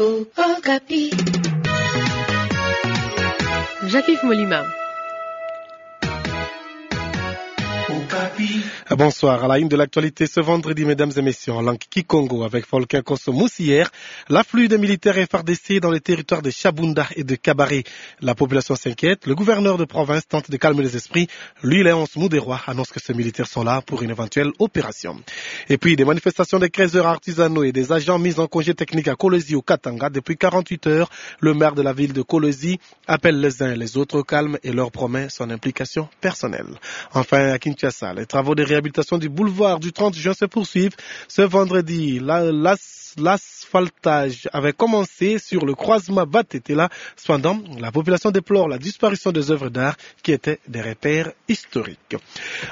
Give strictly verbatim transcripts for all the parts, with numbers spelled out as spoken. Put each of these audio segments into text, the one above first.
Okapi. Jacques-Yves Molima. Okapi. Bonsoir. À la une de l'actualité ce vendredi, mesdames et messieurs, en langue kikongo avec Folkin Konso Musière, l'afflux des militaires F A R D C dans les territoires de Shabunda et de Kabare. La population s'inquiète. Le gouverneur de province tente de calmer les esprits. Lui, Léonce Muderwa, annonce que ces militaires sont là pour une éventuelle opération. Et puis, des manifestations des creuseurs artisanaux et des agents mis en congé technique à Kolwezi au Katanga depuis quarante-huit heures. Le maire de la ville de Kolwezi appelle les uns et les autres au calme et leur promet son implication personnelle. Enfin, à Kinshasa, les travaux de réhabilitation du boulevard du trente juin se poursuivent. Ce vendredi, la, l'as-, l'asphaltage avait commencé sur le croisement Batetela. Cependant, la population déplore la disparition des œuvres d'art qui étaient des repères historiques.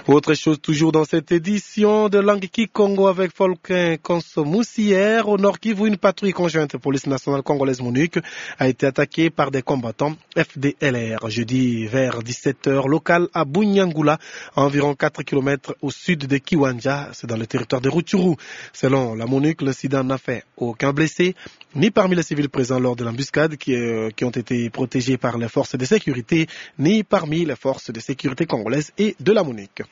Autre chose toujours dans cette édition de langue kikongo avec Folkin Konso Musière. Au Nord-Kivu, une patrouille conjointe police nationale congolaise MONUC a été attaquée par des combattants F D L R jeudi vers dix-sept heures, local à Bunyangula, à environ quatre kilomètres au sud de Kiwanja, c'est dans le territoire de Rutshuru. Selon la MONUC, l'incident n'a fait aucun blessé, ni parmi les civils présents lors de l'embuscade qui, euh, qui ont été protégés par les forces de sécurité, ni parmi les forces de sécurité congolaises et de la MONUC.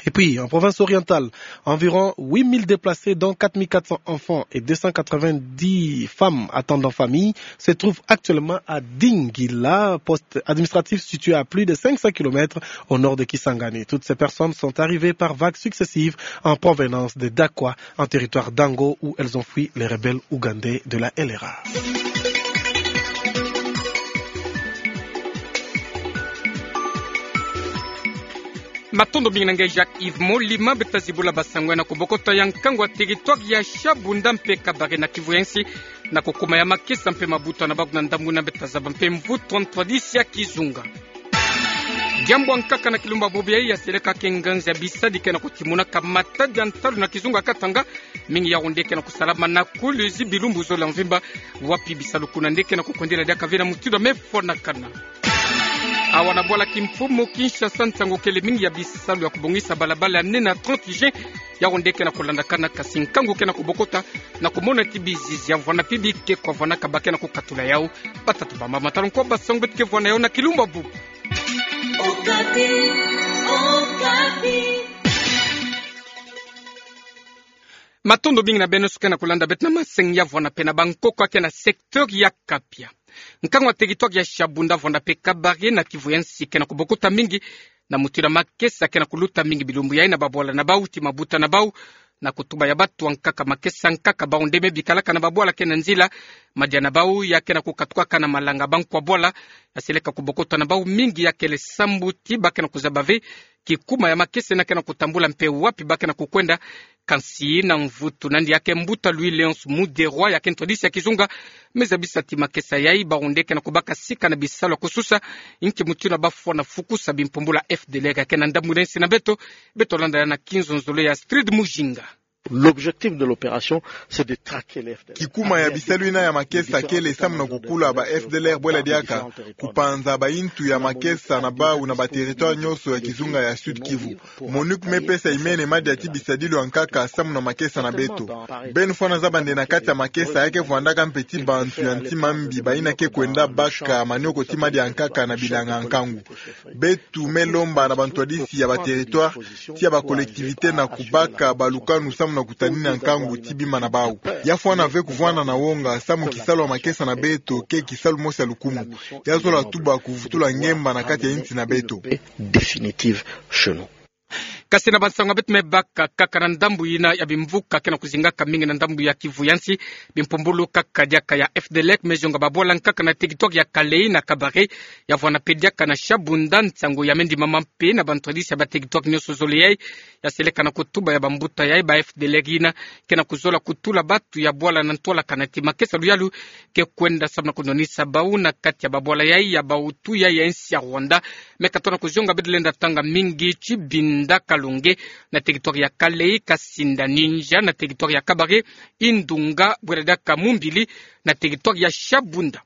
Et puis, en province orientale, environ huit mille déplacés, dont quatre mille quatre cents enfants et deux cent quatre-vingt-dix femmes attendant famille, se trouvent actuellement à Dingila, poste administratif situé à plus de cinq cents kilomètres au nord de Kisangani. Toutes ces personnes sont arrivées par vagues successives en provenance de Dakwa, en territoire d'Ango, où elles ont fui les rebelles ougandais de la L R A. Matondo mingi na nge Jacques-Yves Molima. Beta zibula basango ya na kobokota ya nkangu ya territoire ya Shabunda mpe Kabare na Kivu ya nsi, na kokuma ya makesa mpe mabuta na bako na ndambu na beta zaba mpe mvutu ya ntwadisi ya kizunga. Diambu ya nkaka na kilumbu ya bubu yayi ya seleka ke nganzi ya bisadi ke na kotimonaka matadi ya ntalu na kizunga ya Katanga. Mingi ya yonde ke na kosalama na Kolwezi bilumbu zole ya mvimba, wapi bisalu kuna nde ke na kokwendela diaka ve na mutindu ya mefwanakana. Awa na bwala kimfumu Kinshasa, nsangu kele mingi ya bisalu ya kobongisa balabala ya nene ya trente juin ya yonde ke na kolandakana, kasi nkangu ke na kobokota na komona ti bizizi ya vwanda mpe bikeko ya vwandaka ba ke na kokatula yawu. Batata bamama, tala nkwa basango beto ke vwanda yawu na kilumbu ya bubu. Okapi, Okapi. Matondo mingi na beno nyonso ke na kolanda beto na masengi ya vwanda mpe na bankoko ya ke na secteur ya Kapia. Nkangu ya territoire ya Shabunda, Vwanda mpe Kabare na Kivu ya nsi ke na kobokota mingi na mutindu ya makesa ke na koluta mingi bilumbu yayi na babwala na bawu ti mabuta na bawu, na kotuba ya bato ya nkaka makesa nkaka. Bawu nde me bikalaka na babwala ke na nzila, madia na bawu ya ke na kokatukaka na malanga. Bankwa bwala ya seleka kobokota na bawu mingi ya kele sambu ti ba ke na kozaba ve kikuma ya makesa ina ke na kotambula mpe wapi ba ke na kokwenda. Kansi na mvutu na yandi ya ke mbuta Louis Léonce Muderwa ya ke ntwadisi ya kizunga, me zabisa ti makesa yayi, bawu nde ke na kobaka sika na bisalu ya kosusa, inki mutindu ya bafwana fukusa bimpumbulu ya F D L R ya ke na ndambu na nsi na beto. Beto landa ya na kinzonzolo ya Astrid Mujinga. L'objectif de l'opération, c'est de traquer les F D L R. Kikuma ya bisalu ina ya makesa kele samu na kokula ba F D L R bwela diaka, kupanza bayintu ya makesa na bawu na ba territoire nyonso ya kizunga ya Sud-Kivu. MONUC me pesa imene madia ti bisadilu ya nkaka samu na makesa na beto. Beno fwana zaba nde na kati ya makesa ya ke vwandaka mpe ti bantu ya ntima mbi, bayina ke kwenda baka manioko ti madia ya nkaka na bilanga ya nkangu. Beto me lomba na bantwadisi ya ba territoire, ti ya ba collectivité na kubaka balukanu samu na kutanina nkangu ti bima na bawu. Ya fwana ve kuvwanda na wonga, samu kisalu ya makesa na beto ke kisalu mosi ya lukumu. Ya zola tuba kuvutula ngemba na kati ya insi na beto. Définitive chez nous. Kasi na bansangu ya beto me baka kaka na ndambu yina ya bimvuka ke na kozingaka mingi na ndambu ya Kivu ya nsi, bimpumbulu kaka diaka ya F D L R me zonga babwala nkaka na territoire ya Kalehe na Kabare, ya Vwanda mpe diaka na Shabunda. Nsangu ya me ndimama mpe na bantwadisi ya ba territoire nyonso zole yayi, ya seleka na kotuba ya bambuta yayi, ba F D L R yina ke na kozola kutula bato ya bwala na ntwala kana ti makesa luyalu ke kwenda samu na konwanisa bawu na kati ya babwala yayi ya bawutu yayi ya insi ya Rwanda. Me katono kozonga, beto lenda tanga mingi ti Binda Kalonge na territoire ya Kalehe, Kasinda Ninja na territoire ya Kabare, Indunga, bwela diaka Mumbili na territoire ya Shabunda.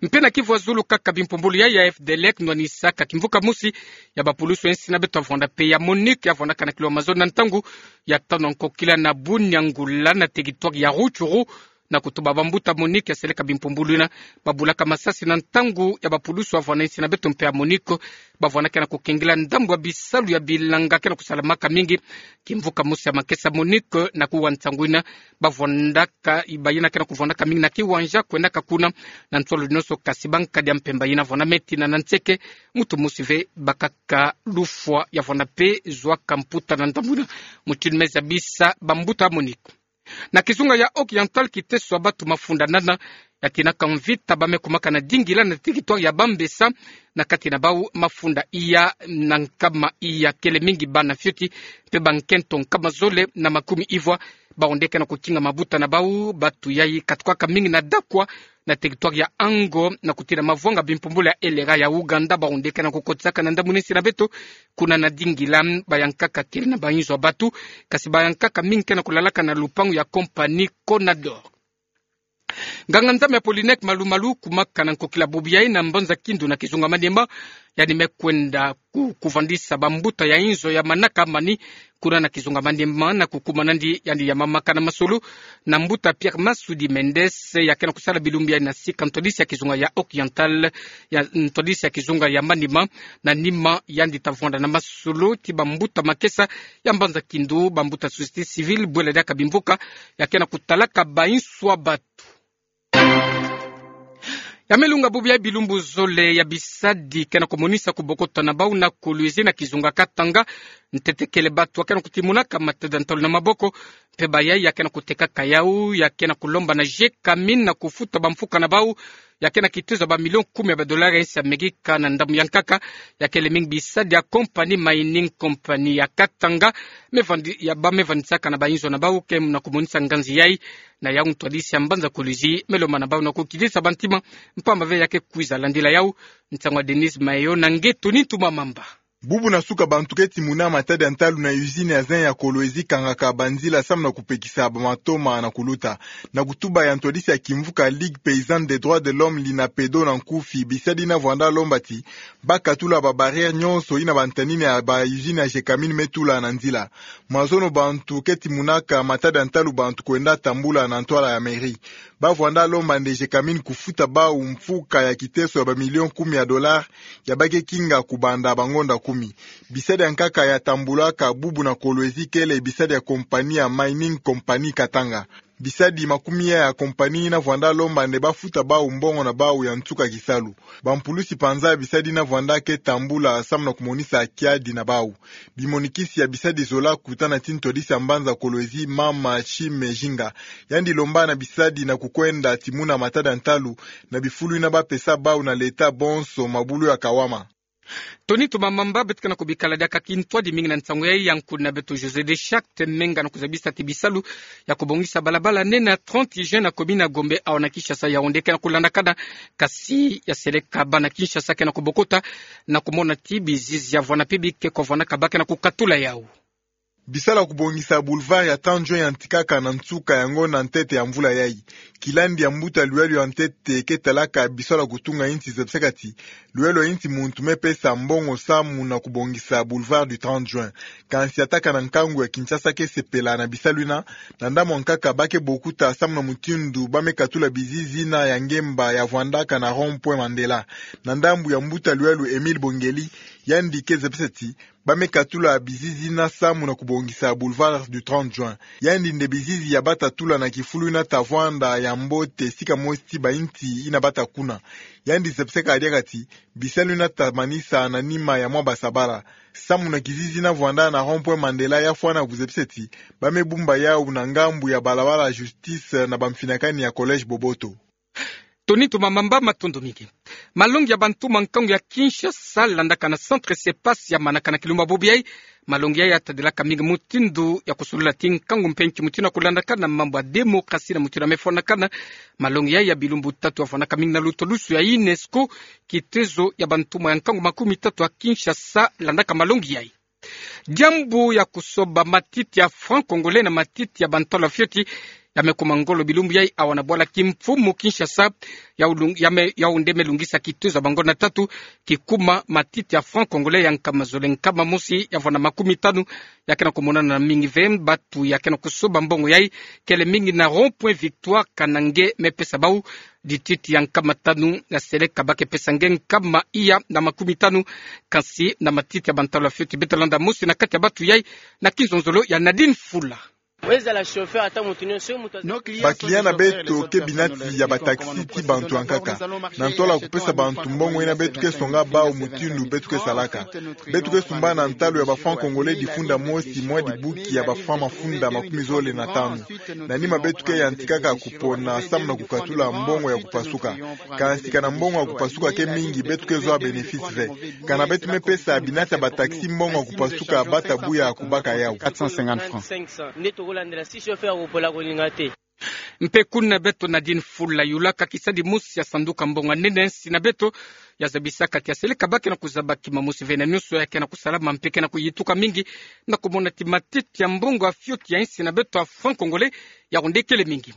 Mpe na Kivu ya zulu kaka, bimpumbulu yayi ya F D L R nwanisaka kimvuka mosi ya bapulusu ya insi na beto ya Vwanda mpe ya MONUC ya vwandaka na kilo ya mazono na ntangu ya tanu ya nkokila na Bunyangula na territoire ya Rutshuru, na kutuba bambuta MONUC ya seleka bimpumbulu ina babulaka masasi na ntangu ya bapulusu ya vwana insi na beto mpe ya MONUC, bavwana ke na kukengila ndambu ya bisalu ya bilanga ke na kusalamaka mingi. Kimvuka mosi ya makesa MONUC na kuwa nsangu ina, bavwandaka, bayina ke na kuvwandaka mingi na kiwanja kwendaka kuna na ntwala nyonso, kasi bankadi ya mpemba yina vwanama tina na nseke, mutu mosi ve bakaka lufwa. Ya vwanda mpe zwaka mputa na ndambu ina mutindu me zabisa bambuta MONUC. Na kizunga ya Oriental, kiteso ya batu mafunda nana ya tinaka mvita ba me kumaka na dingila na territoire ya Bambessa, na kati na bau mafunda iya na nkama iya, kele mingi bana fioti mpe bankento nkama zole na makumi ivwa, bawu nde ke na kukinga mabuta na bau. Batu yayi katukaka mingi na Dakwa, na territoire ya Ango, na kutina mavwanga bimpumbulu ya elera ya Ouganda, bawu nde ke na kukotisaka na ndambu na insi na beto kuna na dingila. Bayankaka kele na bainzo ya batu, kasi bayankaka mingi ke na kulalaka na lupangu ya compagnie Conador. Nganga-nzambi Apollinaire Malu-Malu, kumaka na nkokila bubu yayi na mbanza Kindu na kizunga Maniema, yandi me kwenda ku-, kuvandisa bambuta ya inzo ya manaka mani kuna na kizunga Maniema, na kukuma nandi yandi ya mamaka na masolo na mbuta Pierre Masudi Mendes, ya ke na kusala bilumbu yayi na sika ntwadisi ya kizunga ya Oriental, ya ntwadisi ya kizunga ya Maniema. Na nima yandi ta vwanda na masolo ti bambuta makesa ya mbanza Kindu, bambuta société civile, bwela diaka bimvuka, ya ke na kutalaka bainzo ya batu. Ya me lunga bubu yayi bilumbu zole ya bisadi ke na kumonisa kubokota na bau na Kolwezi na kizunga Katanga. Ntete kele batu ya ke na kutimunaka matada ntalu na maboko, mpe bayayi ya ke na kutekaka yau, ya ke na kulomba na Gécamines na kufuta bamfuka na bau ya ke na kitezo ya bamilion kumi ya badolari ya insi ya Amerika. Na ndambu ya nkaka, ya kele mingi bisadi ya compagnie, mining compagnie ya Katanga, me vandi-, ya ba me vandisaka na bainzo na bau ke na kumonisa nganzi yayi. Na yau ntwadisi ya mbanza Kolwezi me lomba na bau na kukidisa bantima, mpamba ve ya ke kwiza landila yau. Nsangu ya Denise Mayo na nge Tony Ntumamamba. Bubu na suka bantu ke timuna matada ntalu na usine ya zinc ya Kolwezi kangaka banzila samu na kupekisa bamatoma na kuluta. Na kutuba ya ntwadisi ya kimvuka Ligue Paysanne des Droits de l'Homme, Linapedo, na nkufi, bisadi yina vwanda lomba ti ba katula babarrière nyonso yina bantanini ya bausine ya Gécamines me tula na nzila. Mazono bantu ke timunaka matada ntalu bantu kwenda tambula na ntwala ya mairie. Ba vwanda lomba nde Gécamines kufuta bau mfuka ya kiteso ya bamilion kumi ya dolari ya ba ke kinga kubanda bangonda kumi. Bisadi ya nkaka ya tambulaka bubu na Kolwezi kele bisadi ya compagnie ya Mining Compagnie Katanga. Bisadi makumi ya compagnie yina vwanda lomba nde ba futa bau mbongo na bau ya nsuka kisalu. Bampulusi panza bisadi yina vwanda ke tambula samu na kumonisa kiadi na bau. Bimonikisi ya bisadi zola kutana ti ntwadisi ya mbanza Kolwezi, mama Chime Zinga. Yandi lomba na bisadi na kukwenda timuna matada ntalu na bifulu yina ba pesa bau na leta bonso mabulu ya kawama. Tony Ntumamamba, beto ke na kubikala diaka kintwadi mingi na nsangu yayi. Yankulu na beto José de Charte Menga na kuzabisa ti bisalu ya kubongisa balabala nene ya trente juin na commune ya Gombe, awa na Kinshasa, yau nde ke na kulandakana, kasi ya seleka bana Kinshasa ke na kubokota na kumona ti bizizi ya vwanda mpe bi ke kwa vwandaka ba ke na kukatula yau. Bisalu ya kubongisa boulevard ya trente juin yantikaka na nsuka ya ngonda ntete ya mvula yayi. Kilandi ya mbuta luyalo ya ntete ke talaka bisalu ya kutunga insi zebisaka ti luyalo ya insi muntu me pesa mbongo samu na kubongisa boulevard du trente juin. Kansi atakana nkangu ya Kinshasa ke sepela na bisalu yina, na ndambu ya nkaka ba ke bokuta samu na mutindu ba me katula bizizi yina ya ngemba ya vwandaka na rond-point Mandela. Na ndambu ya mbuta luyalo Émile Bongeli, yandi ke zebisa ti ba me katula bizizi yina samu na kubongisa boulevard du trente juin. Yandi nde bizizi ya ba ta tula na kifulu yina ta vwanda ya mbote sika mosi ti bainsi yina ba ta kuna. Yandi zebisaka diaka ti bisalu yina ta manisa na nima ya mwa basabala. Samu na kizizi yina vwanda na rond-point Mandela, ya fwana kuzebisa ti ba me bumba yau na ngambu ya balabala Justice na bamfinakani ya Collège Boboto. Tony Ntumamamba, matondo mingi. Malongi ya bantuma nkangu ya Kinshasa landaka na Centre Sepas ya manaka na kilumba bubu yayi. Malongi yayi ya tadilaka mingi mutindu ya kusolula ti nkangu mpe nki mutindu ya kulandakana mambu ya démocratie na mutindu ya me fwanakana. Malongi yayi ya bilumbu tatu ya fwanaka mingi na lutwadusu ya UNESCO, kitezo ya bantuma ya nkangu makumi tatu ya Kinshasa landaka malongi yayi. Diambu ya kusoba matiti ya franc congolais na matiti ya bantalu ya fioti, ya me kuma ngolo bilumbu yai awa na bwala kimfumu Kinshasa, ya ulung-, ya me, ya unde me lungisa kituza bango na tatu, kikuma matiti ya franc congolais ya nkama zole nkama mosi ya vwanda makumi tanu, ya ke na kumonana na mingi ve. Batu ya ke na kusoba mbongo yai, kele mingi na rond-point Victoire, kana nge me pesa bau dititi ya nkama tanu, ya seleka ba ke pesa nge nkama iya na makumi tanu, kansi na matiti ya bantalu ya fioti. Beto landa mosi na kati ya batu yai, na kinzonzolo ya Nadine Fula. Ba client na beto ke binati ya ba taxi ti bantu ya nkaka. Na ntwala kupesa bantu mbongo yina beto ke songa bau mutindu beto ke salaka. Beto ke sumba na ntalu ya ba franc congolais difunda mosi mwa dibuki ya ba franc mafunda makumi zole na tanu. Na nima beto ke yantikaka kupona samu na kukatula mbongo ya kupasuka. Kansi kana mbongo ya kupasuka ke mingi, beto ke zwa bénéfice ve. Kana beto me pesa binati ya ba taxi mbongo ya kupasuka, bata bu ya kubaka yau. Quatre cent cinquante francs. Mpe kuna beto Nadine Fula yulaka kisadi mosi ya sanduka mbongo ya nene, nsi na beto ya zabisaka ti ya seleka ba ke na kuzaba kima mosi ve na nyonso ya ke na kusalama mpe ke na kuyituka mingi, na kumona ti matiti ya mbongo ya fioti ya nsi na beto ya franc congolais ya kunde kele mingi.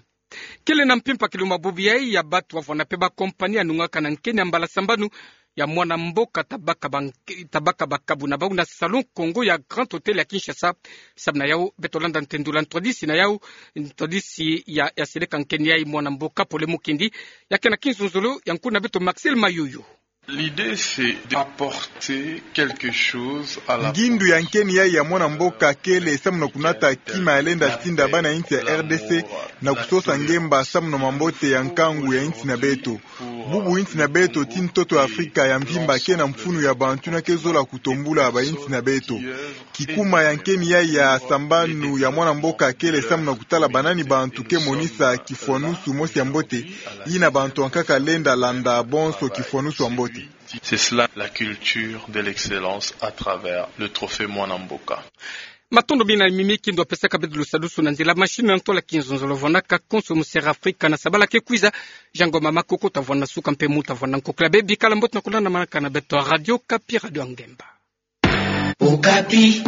Kele na mpimpa kiluma bubu yai ya batu wavwanda mpe ba compagnie ya nungaka na nkeni ya mbala sambanu ya mwana mboka tabaka ba-, tabaka bakabu na bau na Salon Congo ya Grand Hôtel ya Kinshasa. Samu na yau, beto landa ntendula ntwadisi na yau, ntwadisi ya, ya seleka nkeni yai, mwana mboka Pole Mukindi, ya ke na kinzonzolo ya nkuna beto Maxel Mayoyo. L'idée, c'est d'apporter quelque chose à la... Ngindu ya nkeni yai ya mwana mboka kele samu na kunata kima ya lenda tinda bana insi ya R D C na kusosa ngemba samu na mambote ya nkangu ya insi na beto. Bubu insi na beto ti ntoto ya Afrika ya mvimba ke na mfunu ya bantu yina ke zola kutombula ba insi na beto. Kikuma ya nkeni yai ya sambanu ya mwana mboka kele samu na kutala banani bantu ke monisa kifwanusu mosi ya mbote, yina bantu ya nkaka lenda landa bonso kifwanusu ya mbote. C'est cela la culture de l'excellence à travers le trophée Mwana Mboka. Matondo mingi na mimi kindo pesaka beto lusadusu na nzila machine na ntwala kinzonzolo vwanaka konso mu Sera Afrika na sabala ke kwiza. Jean Ngoma Makoko ta vwana suka mpe mu ta vwana nkokla. Bikala mbote na kulanda manaka na beto Radio Okapi, Radio ya Ngemba. Okapi.